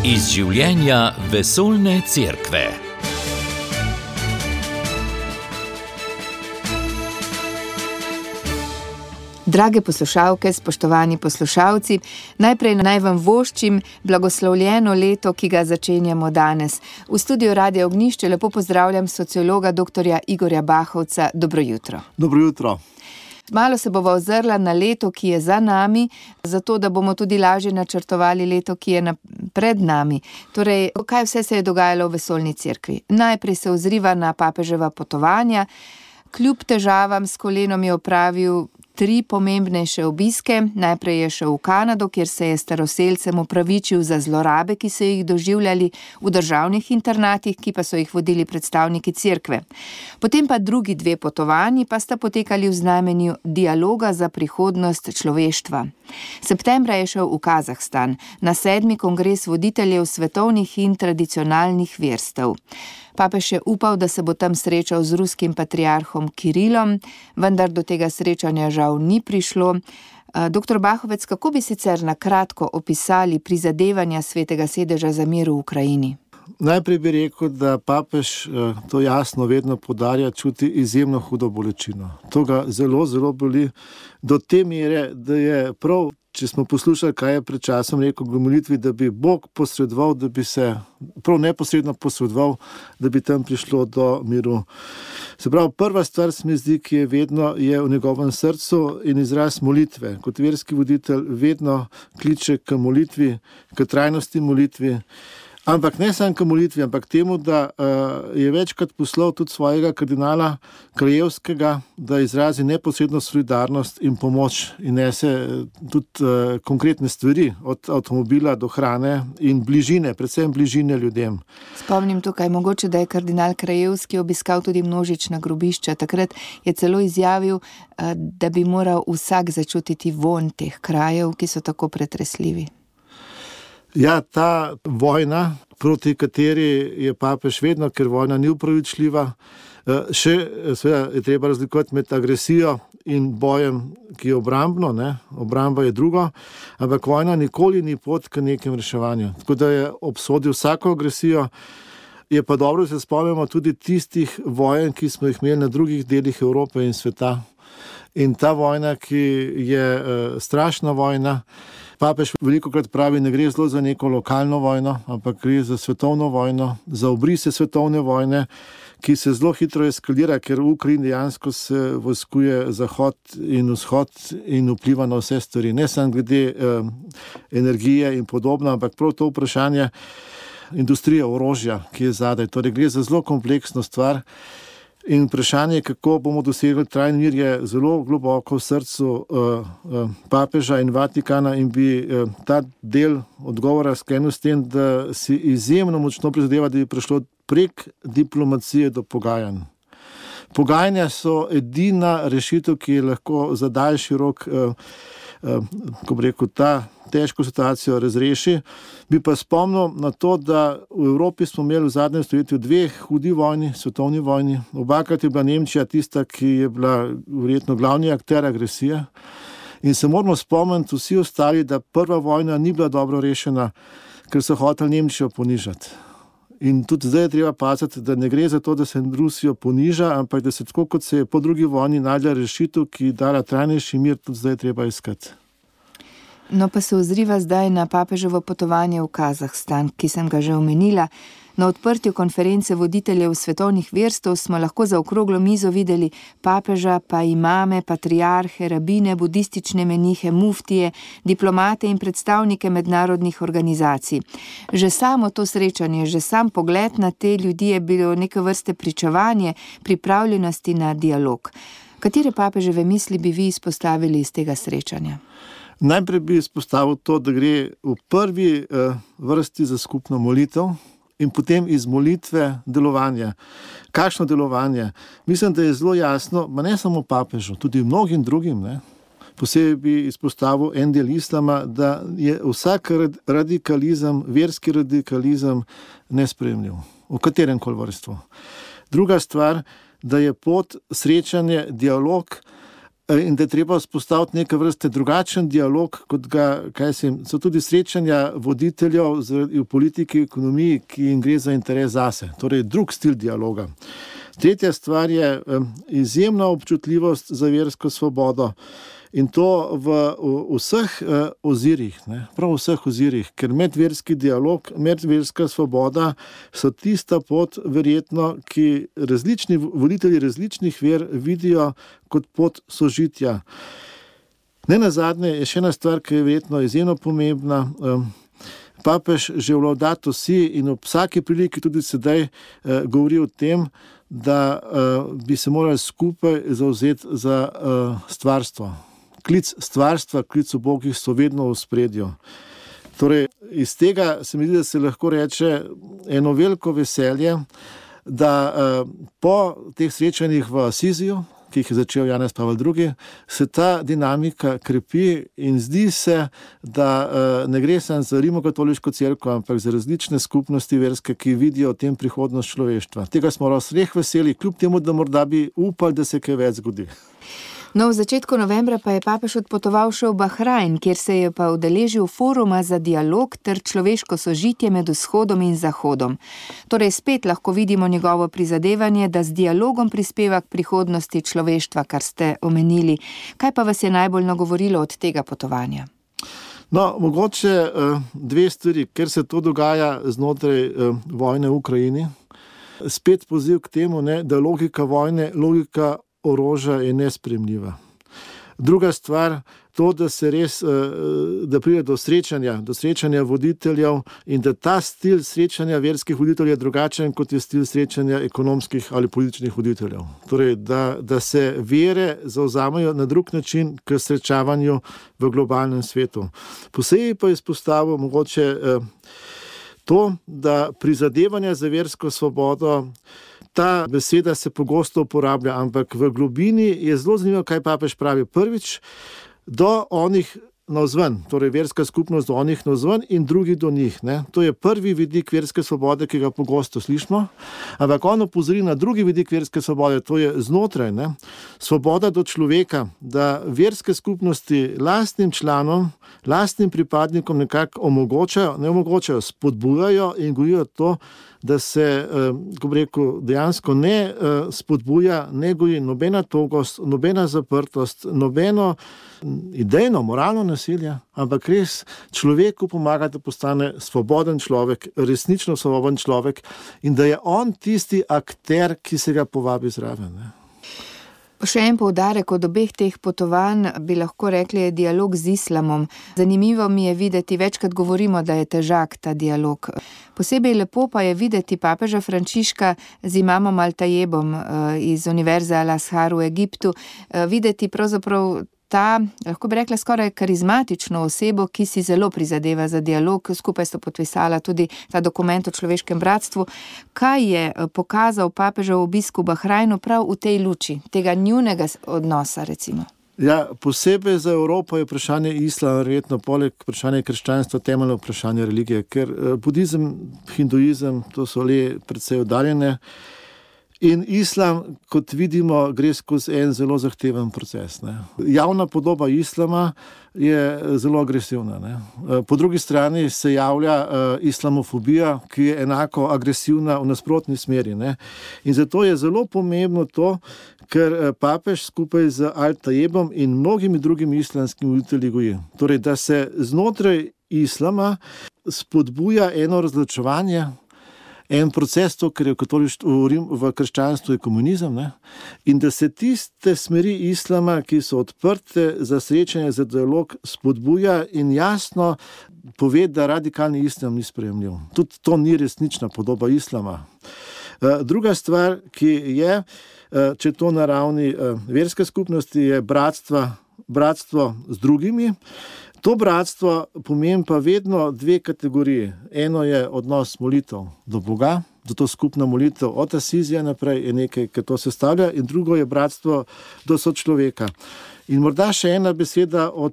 Iz življenja vesoljne cerkve. Drage poslušalke, spoštovani poslušalci, najprej naj vam voščim blagoslovljeno leto, ki ga začenjamo danes. V studiu Radia Ognjišče lepo pozdravljam sociologa dr. Igorja Bahovca. Dobro jutro. Dobro jutro. Malo se bova ozrla na leto, ki je za nami, zato da bomo tudi lažje načrtovali leto, ki je pred nami. Torej, kaj vse se je dogajalo v vesoljni cerkvi? Najprej se ozriva na papeževa potovanja. Kljub težavam s kolenom je opravil 3 pomembnejše obiske. Najprej je šel v Kanado, kjer se je staroselcem opravičil za zlorabe, ki so jih doživljali v državnih internatih, ki pa so jih vodili predstavniki cerkve. Potem pa drugi 2 potovanji pa sta potekali v znamenju dialoga za prihodnost človeštva. Septembra je šel v Kazahstan na 7. kongres voditeljev svetovnih in tradicionalnih verstev. Papež je upal, da se bo tam srečal z ruskim patriarhom Kirilom, vendar do tega srečanja žal ni prišlo. Dr. Bahovec, kako bi sicer na kratko opisali prizadevanja Svetega sedeža za mir v Ukrajini? Najprej bi rekel, da papež to jasno vedno poudarja, čuti izjemno hudo bolečino. To ga zelo, zelo boli do te mere, da je prav, če smo poslušali, kaj je pred časom rekel v molitvi, da bi Bog posredoval, da bi se prav neposredno posredoval, da bi tam prišlo do miru. Se pravi, prva stvar se mi zdi, ki je vedno je v njegovem srcu in izraz molitve. Kot verski voditelj vedno kliče k molitvi, k trajnosti molitvi. Ampak ne samo k molitvi, ampak temu, da je večkrat poslal tudi svojega kardinala Krajevskega, da izrazi neposredno solidarnost in pomoč in nese tudi konkretne stvari, od avtomobila do hrane in bližine, predvsem bližine ljudem. Spomnim tukaj mogoče, da je kardinal Krajevski obiskal tudi množična grobišča. Takrat je celo izjavil, da bi moral vsak začutiti vonj teh krajev, ki so tako pretresljivi. Ja, ta vojna, proti kateri je papež vedno, ker vojna ni upravičljiva, seveda je treba razlikovati med agresijo in bojem, ki je obrambno, ne? Obramba je drugo, ampak vojna nikoli ni pot k nekem reševanju. Tako da je obsodil vsako agresijo. Je pa dobro, da se spomnimo tudi tistih vojen, ki smo jih imeli na drugih delih Evrope in sveta. In ta vojna, ki je strašna vojna, papež velikokrat pravi, ne gre zelo za neko lokalno vojno, ampak gre za svetovno vojno, za obrise svetovne vojne, ki se zelo hitro eskalira, ker v Ukrajini dejansko se vojskuje Zahod in Vzhod in vpliva na vse stvari. Ne samo glede energije in podobno, ampak prav to vprašanje industrije orožja, ki je zadaj. Torej gre za zelo kompleksno stvar. In vprašanje, kako bomo dosegli trajni mir, je zelo globoko v srcu papeža in Vatikana in bi ta del odgovora sklenil s tem, da si izjemno močno prizadeva, da bi prišlo prek diplomacije do pogajanj. Pogajanja so edina rešitev, ki je lahko za daljši rok, ko bi rekel, ta težko situacijo razreši. Bi pa spomnil na to, da v Evropi smo imeli v zadnjem stoletju 2 hudi vojni, svetovni vojni. Obakrat je bila Nemčija tista, ki je bila verjetno glavni akter agresije. In se moramo spomniti vsi ostali, da prva vojna ni bila dobro rešena, ker so hoteli Nemčijo ponižati. In tudi zdaj je treba paziti, da ne gre za to, da se Rusijo poniža, ampak da se tako, kot se je po drugi vojni najdla rešitev, ki dala trajnejši mir, tudi zdaj je treba iskati. No, pa se ozriva zdaj na papeževo potovanje v Kazahstan, ki sem ga že omenila. Na odprtju konference voditeljev svetovnih verstev smo lahko za okroglo mizo videli papeža, pa imame, patriarhe, rabine, budistične menihe, muftije, diplomate in predstavnike mednarodnih organizacij. Že samo to srečanje, že sam pogled na te ljudi je bilo neke vrste pričevanje pripravljenosti na dialog. Katere papeževe misli bi vi izpostavili iz tega srečanja? Najprej bi izpostavil to, da gre v prvi vrsti za skupno molitev in potem iz molitve delovanje. Kakšno delovanje? Mislim, da je zelo jasno, ma ne samo papežu, tudi mnogim drugim, ne? Posebej bi izpostavil en del islama, da je vsak radikalizem, verski radikalizem nesprejemljiv, v katerem koli vrstvu. Druga stvar, da je pot srečanje, dialog, in da je treba vzpostaviti neke vrste drugačen dialog, kot ga, so tudi srečanja voditeljev v politiki, ekonomiji, ki jim gre za interes zase. Torej, drug stil dialoga. Tretja stvar je izjemna občutljivost za versko svobodo in to v vseh ozirih, prav v vseh ozirih, ker medverski dialog, medverska svoboda so tista pot, verjetno, ki različni voditelji različnih ver vidijo kot pot sožitja. Nenazadnje je še ena stvar, ki je verjetno izjemno pomembna. Papež že v Laudato Si in ob vsaki priliki tudi sedaj govori o tem, da bi se morali skupaj zavzeti za stvarstvo. Klic stvarstva, klic ubogih so vedno v ospredju. Torej, iz tega se mi zdi, da se lahko reče eno veliko veselje, da po teh srečanjih v Asiziju, ki jih je začel Janez Pavel II, se ta dinamika krepi in zdi se, da ne gre samo za rimokatoliško cerkev, ampak za različne skupnosti verske, ki vidijo v tem prihodnost človeštva. Tega smo vseh veseli, kljub temu, da morda bi upali, da se kaj več zgodi. No, v začetku novembra pa je papež odpotoval še v Bahrajn, kjer se je pa udeležil foruma za dialog ter človeško sožitje med vzhodom in zahodom. Torej spet lahko vidimo njegovo prizadevanje, da z dialogom prispeva k prihodnosti človeštva, kar ste omenili. Kaj pa vas je najbolj nagovorilo od tega potovanja? No, mogoče dve stvari, ker se to dogaja znotraj vojne v Ukrajini. Spet poziv k temu, da logika vojne, logika orožja je nesprejemljiva. Druga stvar, to, da se res, da pride do srečanja voditeljev in da ta stil srečanja verskih voditeljev je drugačen, kot je stil srečanja ekonomskih ali političnih voditeljev. Torej, da se vere zavzamajo na drug način k srečavanju v globalnem svetu. Posebej pa izpostavil mogoče to, da prizadevanja za versko svobodo, ta beseda se pogosto uporablja, ampak v globini je zelo zanimivo, kaj papež pravi. Prvič, do onih navzven, torej verska skupnost do onih navzven in drugi do njih. To je prvi vidik verske svobode, ki ga pogosto slišimo, ampak on opozori na drugi vidik verske svobode, to je znotraj. Svoboda do človeka, da verske skupnosti lastnim članom, lastnim pripadnikom nekako omogočajo, spodbujajo in gojijo to, da se, ko bi rekel, dejansko ne spodbuja, ne goji nobena togost, nobena zaprtost, nobeno idejno, moralno nasilje, ampak res človeku pomaga, da postane svoboden človek, resnično svoboden človek in da je on tisti akter, ki se ga povabi zraven. Še en poudarek od obeh teh potovanj bi lahko rekli je dialog z islamom. Zanimivo mi je videti, večkrat govorimo, da je težak ta dialog. Posebej lepo pa je videti papeža Frančiška z imamom Al-Tayebom iz Univerze Al-Azhar v Egiptu, videti pravzaprav ta, lahko bi rekla, skoraj karizmatično osebo, ki si zelo prizadeva za dialog, skupaj sta podpisala tudi ta dokument o človeškem bratstvu. Kaj je pokazal papežev obisk v Bahrajnu prav v tej luči, tega njunega odnosa, recimo? Ja, posebej za Evropo je vprašanje islama, verjetno poleg vprašanja krščanstva, temeljno vprašanje religije, ker budizem, hinduizem, to so le precej oddaljene. In islam, kot vidimo, gre skozi en zelo zahteven proces. Javna podoba islama je zelo agresivna. Po drugi strani se javlja islamofobija, ki je enako agresivna v nasprotni smeri. In zato je zelo pomembno to, ker papež skupaj z Al-Tayebom in mnogimi drugimi islamskimi voditelji goji. Torej, da se znotraj islama spodbuja eno razločevanje, en proces, to, ker je v krščanstvu je komunizem, in da se tiste smeri islama, ki so odprte za srečanje, za dialog, spodbuja in jasno pove, da radikalni islam ni sprejemljiv. Tudi to ni resnična podoba islama. Druga stvar, ki je, če to na ravni verske skupnosti, je bratstvo z drugimi. To bratstvo pomeni pa vedno dve kategoriji. Eno je odnos molitev do Boga, zato skupna molitev od Asizija naprej je nekaj, ki to sestavlja, in drugo je bratstvo do sočloveka. In morda še ena beseda o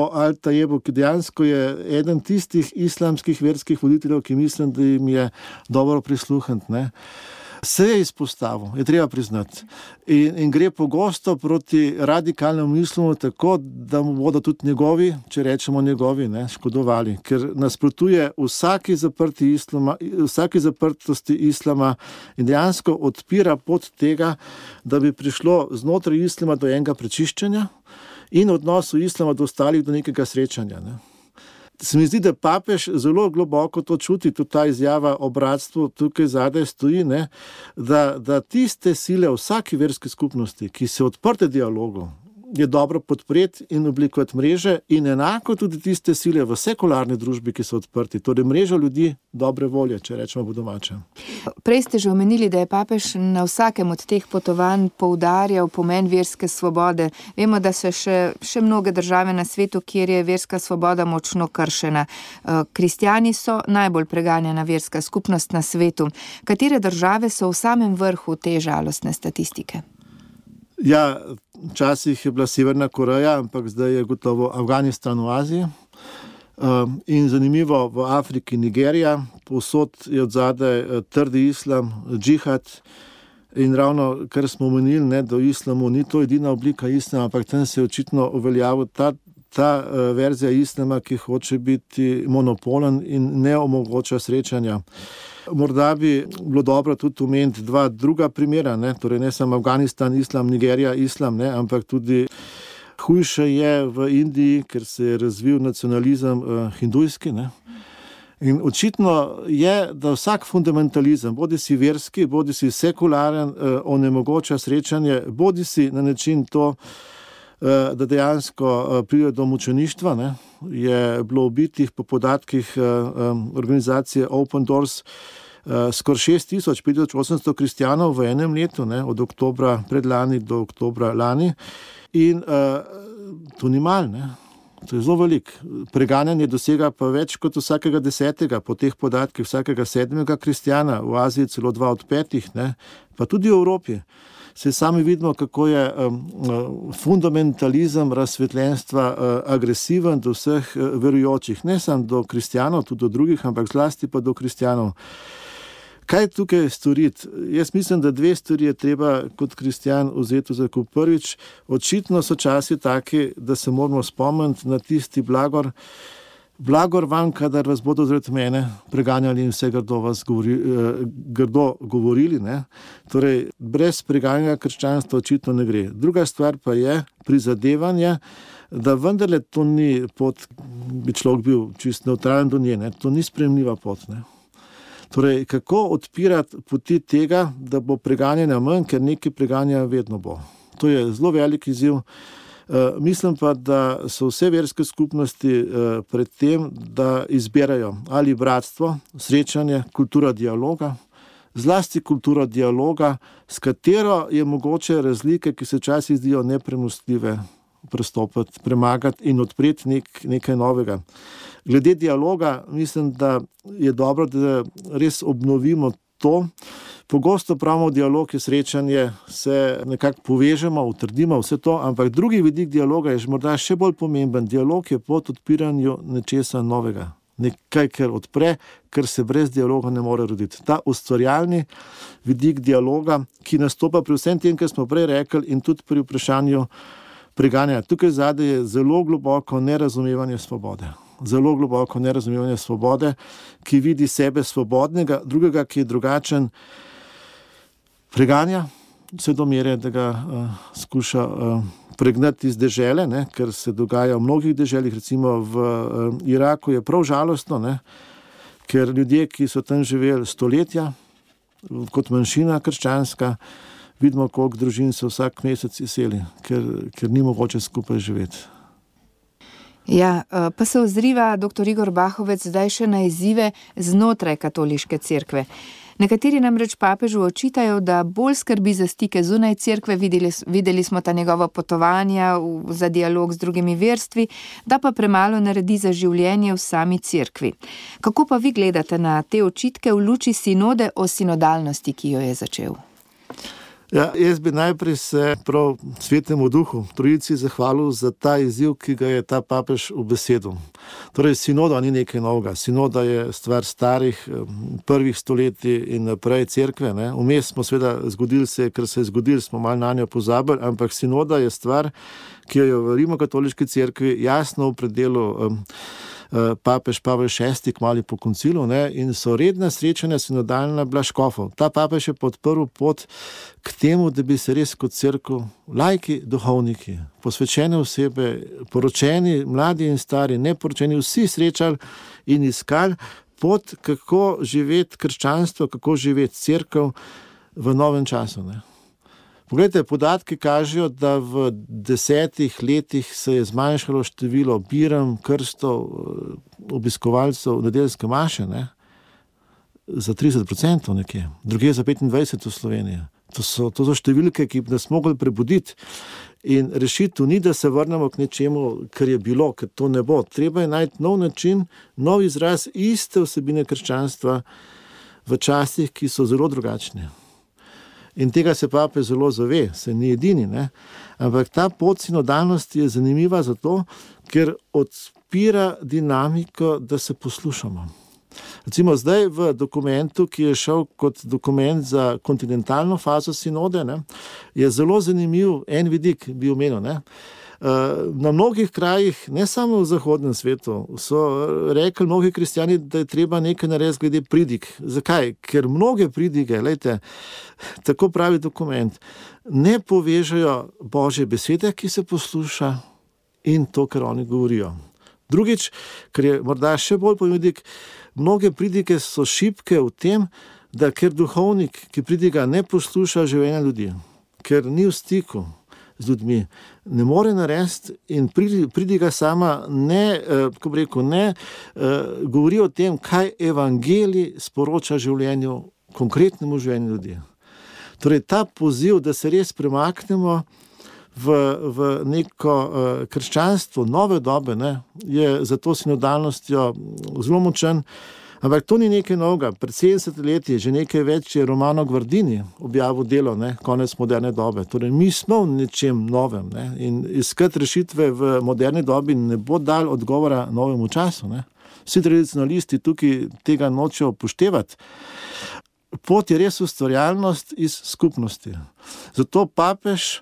Al-Tayebu, ki dejansko je eden tistih islamskih verskih voditeljev, ki mislim, da jim je dobro prisluhniti. Se je izpostavil, je treba priznati. In gre pogosto proti radikalnemu mislemu tako, da mu bodo tudi njegovi, če rečemo njegovi, škodovali. Ker nasprotuje vsaki zaprtosti islama in dejansko odpira pot tega, da bi prišlo znotraj islama do enega prečiščenja in odnosu islama do ostalih do nekega srečanja. Se mi zdi, da papež zelo globoko to čuti, tudi ta izjava o bratstvu tukaj zadaj stoji, da tiste sile vsaki verski skupnosti, ki se odprte dialogu, je dobro podpreti in oblikovati mreže in enako tudi tiste sile v sekularni družbi, ki so odprti, torej mrežo ljudi dobre volje, če rečemo po domače. Prej ste že omenili, da je papež na vsakem od teh potovanj poudarjal pomen verske svobode. Vemo, da so še mnoge države na svetu, kjer je verska svoboda močno kršena. Kristjani so najbolj preganjena verska skupnost na svetu. Katere države so v samem vrhu te žalostne statistike? Ja, včasih je bila Severna Koreja, ampak zdaj je gotovo Afganistan v Aziji. In zanimivo, v Afriki Nigerija, povsod je odzadaj trdi islam, džihad. In ravno, kar smo omenili, da v islamu ni to edina oblika islama, ampak tam se je očitno uveljavil ta verzija islama, ki hoče biti monopolen in ne omogoča srečanja. Morda bi bilo dobro tudi omeniti dva druga primera, torej ne samo Afganistan, islam, Nigerija, islam, ampak tudi hujše je v Indiji, ker se je razvil nacionalizem hindujski. In očitno je, da vsak fundamentalizem, bodi si verski, bodi si sekularen, onemogoča srečanje, bodi si na način to, da dejansko pride do mučeništva. Je bilo ubitih po podatkih organizacije Open Doors skoraj 6,000-5,800 kristjanov v enem letu, od oktobra predlani do oktobra lani. In to ni malo, to je zelo veliko. Preganjanje dosega pa več kot vsakega 10, po teh podatkih vsakega 7 kristjana, v Aziji celo 2 od 5, pa tudi v Evropi. Se sami vidimo, kako je fundamentalizem razsvetljenstva agresiven do vseh verujočih, ne samo do kristjanov, tudi do drugih, ampak zlasti pa do kristjanov. Kaj tukaj storiti? Jaz mislim, da 2 stvari je treba kot kristjan vzeti v zakup. Prvič, očitno so časi taki, da se moramo spomniti na tisti blagor vam, kadar vas bodo zaradi mene preganjali in vse grdo govorili. Torej, brez preganjanja krščanstva očitno ne gre. Druga stvar pa je prizadevanje, da vendarle to ni pot, bi človek bil čist nevtralen do nje, to ni sprejemljiva pot. Torej, kako odpirati poti tega, da bo preganjanja manj, ker nekaj preganja vedno bo. To je zelo velik izziv. Mislim pa, da so vse verske skupnosti pred tem, da izberajo ali bratstvo, srečanje, kultura dialoga, zlasti kultura dialoga, s katero je mogoče razlike, ki se včasih zdijo nepremostljive, prestopati, premagati in odpreti nekaj novega. Glede dialoga, mislim, da je dobro, da res obnovimo to. Pogosto pravimo, dialog je srečanje, se nekako povežemo, utrdimo vse to, ampak drugi vidik dialoga je morda še bolj pomemben. Dialog je pot odpiranju nečesa novega. Nekaj, kar odpre, kar se brez dialoga ne more roditi. Ta ustvarjalni vidik dialoga, ki nastopa pri vsem tem, kar smo prej rekli, in tudi pri vprašanju preganjanja. Tukaj zadaj je zelo globoko nerazumevanje svobode. Zelo globoko nerazumevanje svobode, ki vidi sebe svobodnega, drugega, ki je drugačen, preganja vse do mere, da ga skuša pregnati iz dežele, ker se dogaja v mnogih deželjih, recimo v Iraku je prav žalostno, ker ljudje, ki so tam živeli stoletja, kot manjšina krščanska, vidimo, koliko družin se vsak mesec izseli, ker ni mogoče skupaj živeti. Ja, pa se ozriva dr. Igor Bahovec zdaj še na izzive znotraj katoliške cerkve. Nekateri namreč papežu očitajo, da bolj skrbi za stike zunaj cerkve, videli smo ta njegova potovanja za dialog z drugimi verstvi, da pa premalo naredi za življenje v sami cerkvi. Kako pa vi gledate na te očitke v luči sinode o sinodalnosti, ki jo je začel? Ja, jaz bi najprej se prav Svetemu Duhu, Trojici, zahvalil za ta izziv, ki ga je ta papež ubesedil. Torej, sinoda ni nekaj novega. Sinoda je stvar starih, prvih stoletij in naprej cerkve. Vmes smo seveda zgodili se, ker se je zgodil, smo malo na njo pozabili, ampak sinoda je stvar, ki jo je v Rimokatoliški cerkvi jasno opredelil papež Pavel VI kmalu po koncilu, in so redna srečanja sinodalna bila škofov. Ta papež je podprl pot k temu, da bi se res kot cerkev, laiki, duhovniki, posvečene osebe, poročeni, mladi in stari, neporočeni, vsi srečali in iskali pot, kako živeti krščanstvo, kako živeti cerkev v novem času. Poglejte, podatki kažejo, da v 10 letih se je zmanjšalo število birem, krstov, obiskovalcev nedeljske maše, za 30% nekje, drugje za 25% v Sloveniji. To so številke, ki bi nas mogli prebuditi. In rešitev ni, da se vrnemo k nečemu, kar je bilo, ker to ne bo. Treba je najti nov način, nov izraz iste vsebine krščanstva v časih, ki so zelo drugačni. In tega se papež zelo zave, se ni edini, ampak ta pot sinodalnosti je zanimiva zato, ker odpira dinamiko, da se poslušamo. Recimo zdaj v dokumentu, ki je šel kot dokument za kontinentalno fazo sinode, je zelo zanimiv en vidik, bi omenil. Na mnogih krajih, ne samo v zahodnem svetu, so rekli mnogi kristjani, da je treba nekaj narediti glede pridig. Zakaj? Ker mnoge pridige, tako pravi dokument, ne povežejo Božje besede, ki se posluša, in to, kar oni govorijo. Drugič, kar je morda še bolj pomembno, mnoge pridige so šibke v tem, da ker duhovnik, ki pridiga, ne posluša življenja ljudi, ker ni v stiku z ljudmi, ne more narediti in pridiga sama ne govori o tem, kaj evangelij sporoča življenju, konkretnemu življenju ljudi. Torej, ta poziv, da se res premaknemo v neko krščanstvo nove dobe, je za to sinodalnostjo zelo močen. Ampak to ni nekaj novega. Pred 70 leti, že nekaj več, je Romano Guardini objavil delo, Konec moderne dobe. Torej, mi smo v nečem novem, in iskati rešitve v moderni dobi ne bo dal odgovora novemu času. Vsi tradicionalisti tukaj tega nočejo upoštevati. Pot je res ustvarjalnost iz skupnosti. Zato papež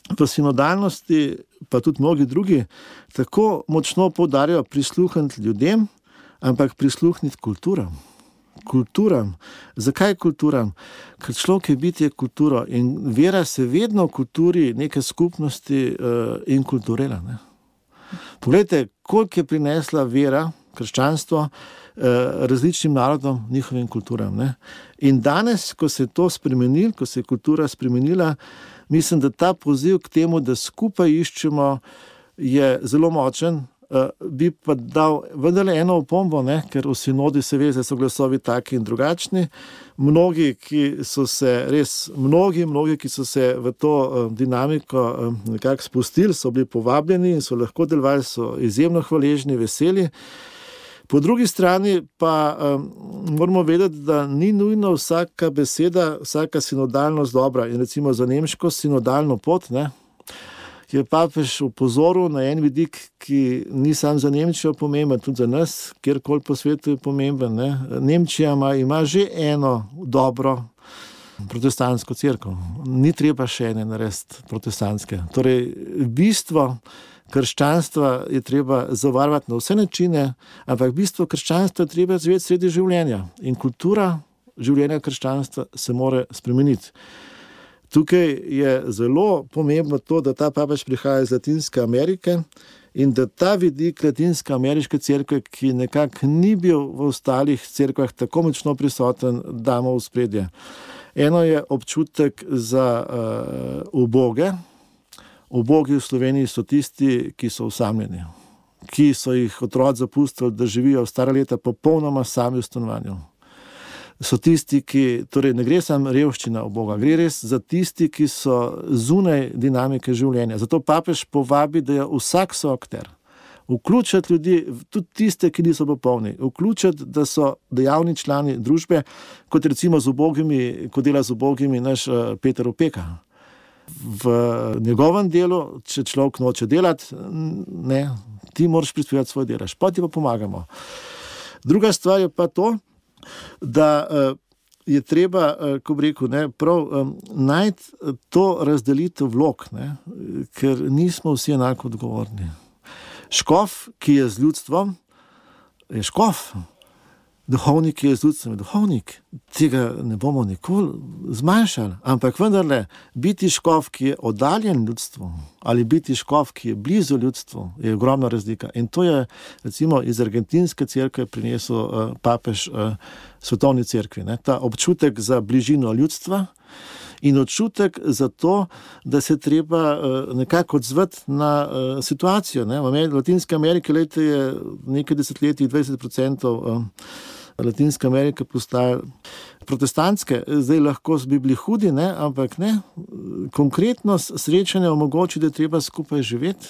v sinodalnosti, pa tudi mnogi drugi, tako močno poudarjajo prisluhniti ljudem, ampak prisluhniti kulturam. Kulturam. Zakaj kulturam? Ker človek je bitje kulturo in vera se vedno v kulturi neke skupnosti inkulturela. Poglejte, koliko je prinesla vera, krščanstvo, različnim narodom, njihovim kulturam. In danes, ko se je to spremenilo, ko se je kultura spremenila, mislim, da ta poziv k temu, da skupaj iščemo, je zelo močen. Bi pa dal vendarle eno opombo, ker v sinodi se ve, da so glasovi taki in drugačni. Mnogi, ki so se v to dinamiko nekako spustili, so bili povabljeni in so lahko delovali, so izjemno hvaležni, veseli. Po drugi strani pa moramo vedeti, da ni nujno vsaka beseda, vsaka sinodalnost dobra. In recimo za nemško sinodalno pot, je papež upozoril na en vidik, ki ni sam za Nemčijo pomemben, tudi za nas, kjerkoli po svetu je pomemben. Nemčija ima že eno dobro protestantsko cerkev. Ni treba še ene narediti protestantske. Torej, bistvo krščanstva je treba zavarovati na vse načine, ampak bistvo krščanstva je treba zveti sredi življenja. In kultura življenja krščanstva se more spremeniti. Tukaj je zelo pomembno to, da ta papež prihaja iz Latinske Amerike in da ta vidik Latinske ameriške cerkve, ki nekako ni bil v ostalih cerkvah tako močno prisoten, damo v spredje. Eno je občutek za uboge. Ubogi v Sloveniji so tisti, ki so osamljeni, ki so jih otroci zapustili, da živijo stara leta popolnoma sami v stanovanju. So tisti, ki, torej ne gre samo revščina uboga, gre res za tisti, ki so zunaj dinamike življenja. Zato papež povabi, da je vsak soakter, Vključiti ljudi, tudi tiste, ki niso popolni, vključiti, da so dejavni člani družbe, kot recimo ko dela z ubogimi naš Peter Opeka. V njegovem delu, če človek noče delati, ne, ti moraš prispevati svoj delež, pa ti pa pomagamo. Druga stvar je pa to, da je treba, ko bi rekel, najti to razdelitev vlog, ker nismo vsi enako odgovorni. Škof, ki je z ljudstvom, je škof. Duhovnik, ki je z ljudstvom, je duhovnik. Tega ne bomo nikoli zmanjšali. Ampak vendarle, biti škof, ki je oddaljen ljudstvu, ali biti škof, ki je blizu ljudstvu, je ogromna razlika. In to je, recimo, iz argentinske cerkve prinesel papež svetovni cerkvi. Ta občutek za bližino ljudstva in občutek za to, da se treba nekako odzvati na situacijo. V Latinske Amerike je nekaj desetletij 20% Latinske Amerike postaje protestantske. Zdaj lahko bi bili hudi, ampak ne. Konkretno srečanje omogoči, da je treba skupaj živeti.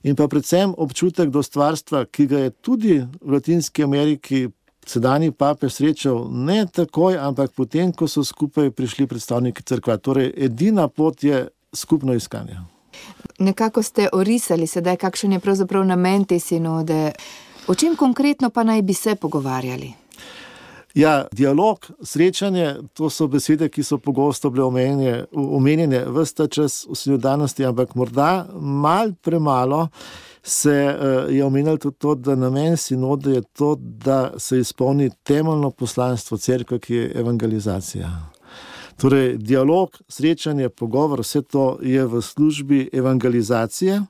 In pa predvsem občutek do stvarstva, ki ga je tudi v Latinski Ameriki sedanji papež srečal ne takoj, ampak potem, ko so skupaj prišli predstavniki cerkva. Torej, edina pot je skupno iskanje. Nekako ste orisali sedaj, kakšen je pravzaprav namen te sinode. O čem konkretno pa naj bi se pogovarjali? Ja, dialog, srečanje, to so besede, ki so pogosto bile omenjene ves ta čas v sinodanosti, ampak morda malo premalo se je omenjalo tudi to, da namen sinode je to, da se izpolni temeljno poslanstvo cerkve, ki je evangelizacija. Torej, dialog, srečanje, pogovor, vse to je v službi evangelizacije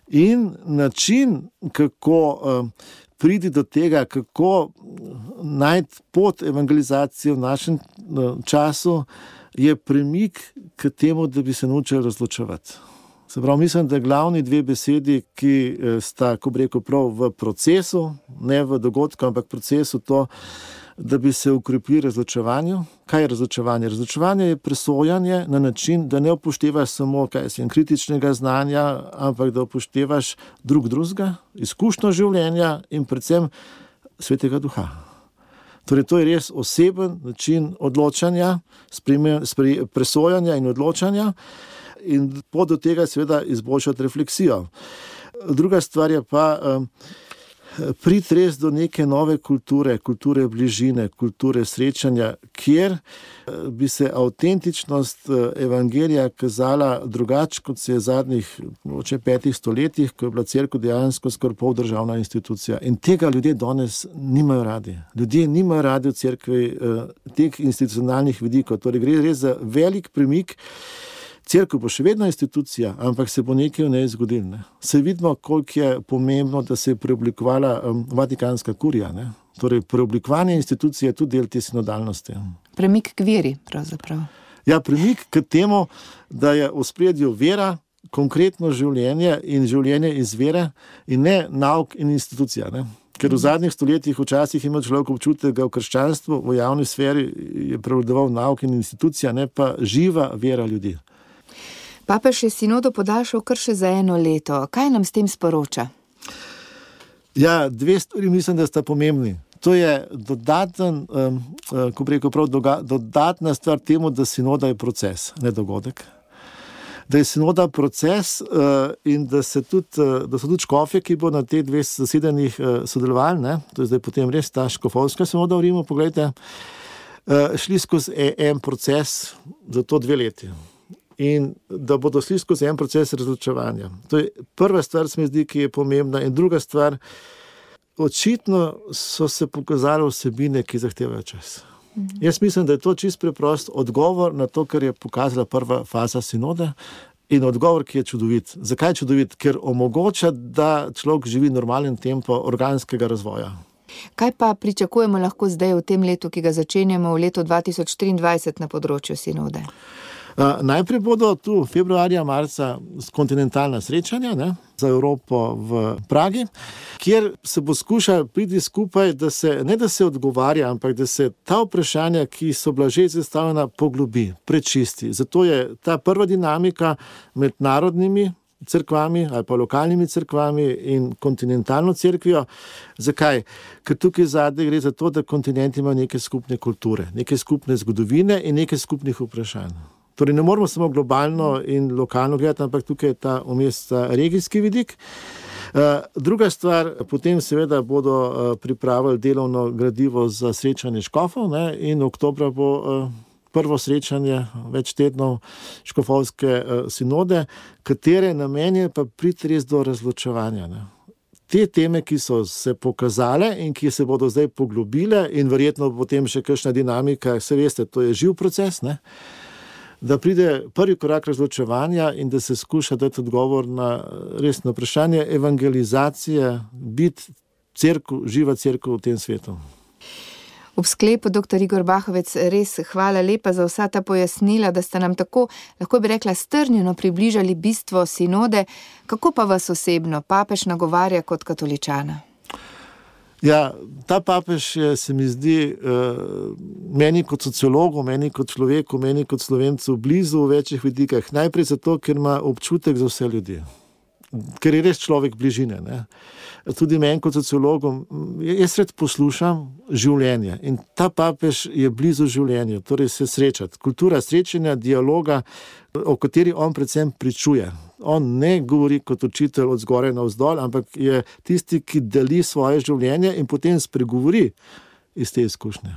in način, kako priti do tega, kako najti pot evangelizacije v našem času, je premik k temu, da bi se naučili razločevati. Se pravi, mislim, da glavni dve besedi, ki sta, ko bi rekel, prav v procesu, ne v dogodku, ampak procesu to, da bi se ukrepili razločevanju. Kaj je razločevanje? Razločevanje je presojanje na način, da ne upoštevaš samo kritičnega znanja, ampak da upoštevaš drugega, izkušnjo življenja in predvsem Svetega Duha. Torej, to je res oseben način odločanja, presojanja in odločanja in pot do tega seveda izboljšati refleksijo. Druga stvar je pa priti res do neke nove kulture bližine, kulture srečanja, kjer bi se avtentičnost evangelija kazala drugače, kot se je zadnjih 5 stoletjih, ko je bila cerkev dejansko skoraj poldržavna institucija. In tega ljudje danes nimajo radi. Ljudje nimajo radi v cerkvi teh institucionalnih vidikov. Torej, gre res za velik premik. Cerkev bo še vedno institucija, ampak se bo nekaj v njej zgodilo. Se vidimo, koliko je pomembno, da se je preoblikovala Vatikanska kurija. Torej, preoblikovanje institucije je tudi del te sinodalnosti. Premik k veri, pravzaprav. Ja, premik k temu, da je v ospredju vera, konkretno življenje in življenje iz vere in ne nauk in institucija. Ker v zadnjih stoletjih včasih ima človek občutek, da v krščanstvu, v javni sferi je prevladoval nauk in institucija, ne pa živa vera ljudi. Papež je sinodo podaljšal kar še za 1 leto. Kaj nam s tem sporoča? Ja, 2 stvari mislim, da sta pomembni. To je dodatna stvar temu, da sinoda je proces, ne dogodek. Da je sinoda proces in da so tudi škofje, ki bo na teh 2 zasedanjih sodelovali, to je zdaj potem res ta škofovska sinoda v Rimu, poglejte, šli skozi en proces za to 2 leti. In da bodo šli skozi en proces razločevanja. To je prva stvar, se mi zdi, ki je pomembna. In druga stvar, očitno so se pokazale vsebine, ki zahtevajo čas. Jaz mislim, da je to čisto preprost odgovor na to, kar je pokazala prva faza sinode in odgovor, ki je čudovit. Zakaj je čudovit? Ker omogoča, da človek živi normalen tempo organskega razvoja. Kaj pa pričakujemo lahko zdaj v tem letu, ki ga začenjamo v letu 2023 na področju sinode? Najprej bodo tu februarja, marca kontinentalna srečanja za Evropo v Pragi, kjer se bo skušal priti skupaj, da se odgovarja, ampak da se ta vprašanja, ki so bila že zastavljena, poglobi, prečisti. Zato je ta prva dinamika med narodnimi cerkvami ali pa lokalnimi cerkvami in kontinentalno cerkvijo. Zakaj? Ker tukaj zadnje gre za to, da kontinent ima neke skupne kulture, neke skupne zgodovine in neke skupnih vprašanj. Torej ne moramo samo globalno in lokalno gledati, ampak tukaj je ta vmes regijski vidik. Druga stvar, potem seveda bodo pripravili delovno gradivo za srečanje škofov, ne, in oktobra bo prvo srečanje več tednov škofovske sinode, katere namen je pa priti res do razločevanja. Ne. Te teme, ki so se pokazale in ki se bodo zdaj poglobile in verjetno potem še kakšna dinamika, se veste, to je živ proces, ne, da pride prvi korak razločevanja in da se skuša dati odgovor na resno vprašanje evangelizacije, biti cerkev, živa cerkev v tem svetu. Ob sklepu, dr. Igor Bahovec, res hvala lepa za vsa ta pojasnila, da ste nam tako, lahko bi rekla, strnjeno približali bistvo sinode. Kako pa vas osebno papež nagovarja kot katoličana? Ja, ta papež je, se mi zdi, meni kot sociologu, meni kot človeku, meni kot Slovencu blizu v večjih vidikah. Najprej zato, ker ima občutek za vse ljudi. Ker je res človek bližine, ne. Tudi meni kot sociologom, jaz rad poslušam življenje in ta papež je blizu življenju, torej se srečati. Kultura srečanja, dialoga, o kateri on predvsem pričuje. On ne govori kot učitelj od zgoraj navzdol, ampak je tisti, ki deli svoje življenje in potem spregovori iz te izkušnje.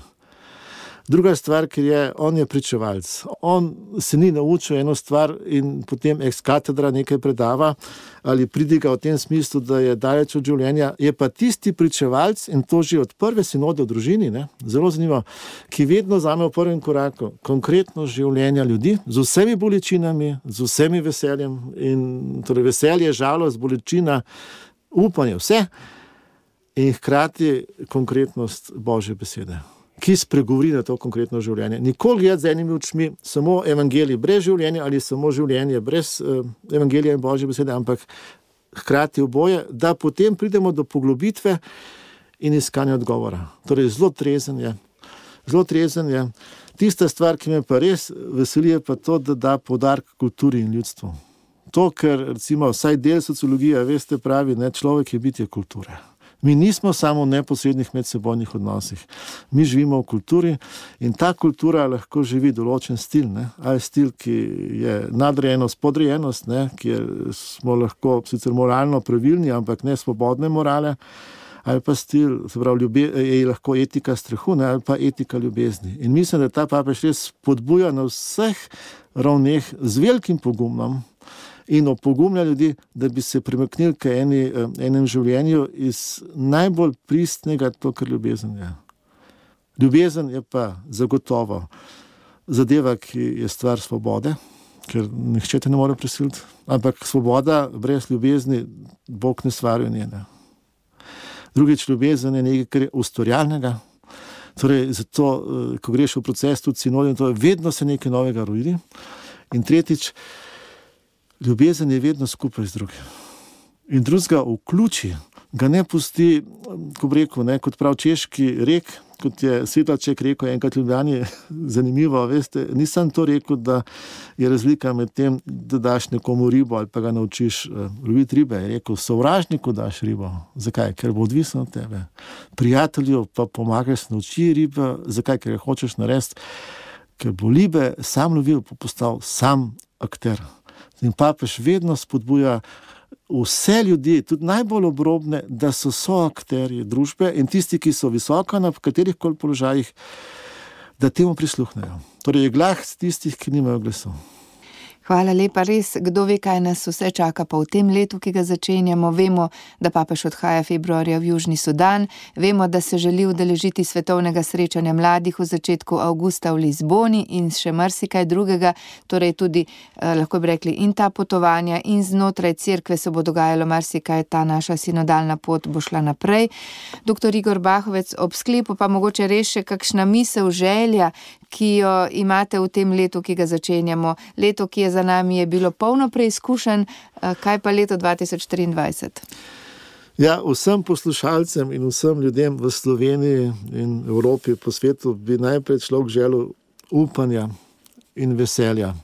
Druga stvar, ker je, on je pričevalc. On se ni naučil eno stvar in potem ex katedra nekaj predava ali pridiga v tem smislu, da je daleč od življenja. Je pa tisti pričevalc, in to že od prve sinode v družini, ne, zelo zanimivo, ki vedno vzame v prvem koraku konkretno življenja ljudi, z vsemi bolečinami, z vsemi veseljem, in torej veselje, žalost, bolečina, upanje, vse, in hkrati konkretnost Božje besede, ki spregovori na to konkretno življenje. Nikoli gledati z enimi očmi samo evangelij brez življenja ali samo življenje brez evangelija in Božje besede, ampak hkrati oboje, da potem pridemo do poglobitve in iskanja odgovora. Torej zelo trezen je. Tista stvar, ki me pa res veseli, je pa to, da da poudarek kulturi in ljudstvu. To, ker recimo vsaj del sociologije, veste, pravi, ne, človek je bitje kulture. Mi nismo samo v neposrednih medsebojnih odnosih. Mi živimo v kulturi in ta kultura lahko živi določen stil, ne? Ali stil, ki je nadrejenost, podrejenost, ne? Kjer smo lahko sicer moralno pravilni, ampak ne svobodne morale, ali pa stil, se pravi, je lahko etika strahu, ne? Ali pa etika ljubezni. In mislim, da ta papež res spodbuja na vseh ravneh z velikim pogumom in opogumlja ljudi, da bi se premaknili k enem življenju iz najbolj pristnega, to, kar ljubezen je. Ljubezen je pa zagotovo zadeva, ki je stvar svobode, ker nihče te ne more prisiliti, ampak svoboda brez ljubezni Bog ne stvari njene. Drugič, ljubezen je nekaj, kar je ustvarjalnega, torej zato, ko greš v proces tudi sinode, to vedno se nekaj novega rodi. In tretjič, ljubezen je vedno skupaj z drugim. In drugega vključi, ga ne pusti, ko bi rekel, ne, kot prav češki rek, kot je Svetlaček rekel enkrat v Ljubljani, zanimivo, veste, nisem to rekel, da je razlika med tem, da daš nekomu ribo ali pa ga naučiš loviti ribe. Je rekel, sovražniku daš ribo. Zakaj? Ker bo odvisno od tebe. Prijatelju pa pomagaš nauči ribe. Zakaj? Ker ga hočeš narediti. Ker bo ribe sam lovil, pa postal sam akter. In papež vedno spodbuja vse ljudi, tudi najbolj obrobne, da so soakterji družbe in tisti, ki so visoko na katerihkoli položajih, da temu prisluhnejo. Torej je glas tistih, ki nimajo glasu. Hvala lepa, res, kdo ve, kaj nas vse čaka pa v tem letu, ki ga začenjamo. Vemo, da papež odhaja februarja v Južni Sudan, vemo, da se želi udeležiti svetovnega srečanja mladih v začetku avgusta v Lizboni in še marsikaj drugega, torej tudi, lahko bi rekli, in ta potovanja in znotraj cerkve se bo dogajalo marsikaj, ta naša sinodalna pot bo šla naprej. Dr. Igor Bahovec, ob sklepu pa mogoče res še kakšna misel, želja, ki jo imate v tem letu, ki ga začenjamo. Leto, ki je za nami, je bilo polno preizkušenj, kaj pa leto 2023? Ja, vsem poslušalcem in vsem ljudem v Sloveniji in Evropi, po svetu, bi najprej človek želel upanja in veselja.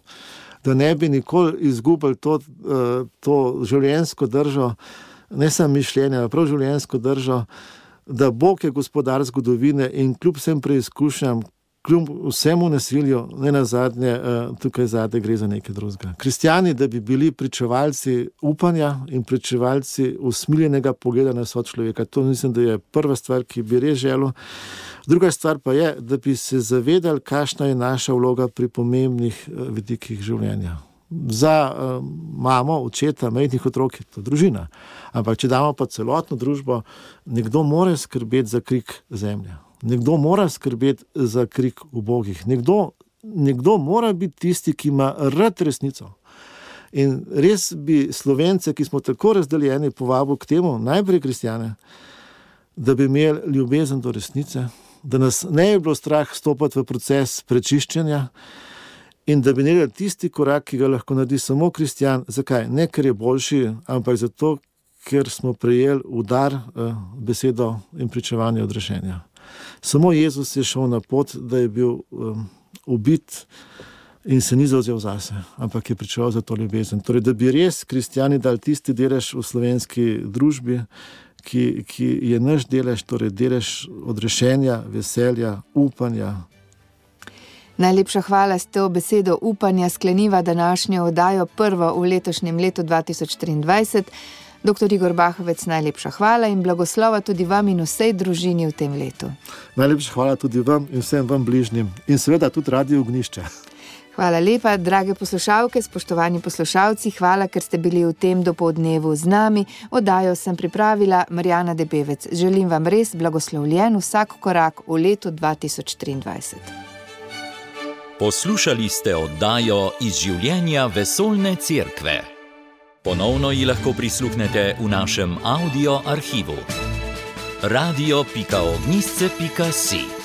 da ne bi nikoli izgubili to življenjsko držo, ne samo mišljenja, prav življenjsko držo, da Bog je gospodar zgodovine in kljub vsem preizkušnjam, kljub vsemu nasilju, ne nazadnje, tukaj zadaj gre za nekaj drugega. Kristjani, da bi bili pričevalci upanja in pričevalci usmiljenega pogleda na sočloveka, to mislim, da je prva stvar, ki bi res želel. Druga stvar pa je, da bi se zavedali, kakšna je naša vloga pri pomembnih vidikih življenja. Za mamo, očeta, majhnih otrok je to družina. Ampak če damo pa celotno družbo, nekdo mora skrbeti za krik zemlje. Nekdo mora skrbeti za krik ubogih. Nekdo mora biti tisti, ki ima rad resnico. In res bi Slovence, ki smo tako razdeljeni, povabil k temu, najprej kristjane, da bi imeli ljubezen do resnice, da nas ne bi bilo strah stopiti v proces prečiščenja in da bi naredili tisti korak, ki ga lahko naredi samo kristjan. Zakaj? Ne, ker je boljši, ampak zato, ker smo prejeli udar, besedo in pričevanje odrešenja. Samo Jezus je šel na pot, da je bil ubit in se ni zavzel zase, ampak je pričeval za to ljubezen. Torej, da bi res kristjani dali tisti delež v slovenski družbi, ki je naš delež, torej delež odrešenja, veselja, upanja. Najlepša hvala, s to besedo upanja skleniva današnjo oddajo, prvo v letošnjem letu 2023. Dr. Igor Bahovec, najlepša hvala in blagoslova tudi vam in vsej družini v tem letu. Najlepša hvala tudi vam in vsem vam bližnjim in seveda tudi Radio Ognjišče. Hvala lepa, drage poslušalke, spoštovani poslušalci, hvala, ker ste bili v tem dopoldnevu z nami. Oddajo sem pripravila Marjana Debevec. Želim vam res blagoslovljen vsak korak v letu 2023. Poslušali ste oddajo iz življenja Vesoljne cerkve. Ponovno ji lahko prisluhnete v našem audio arhivu. radio.ognisce.si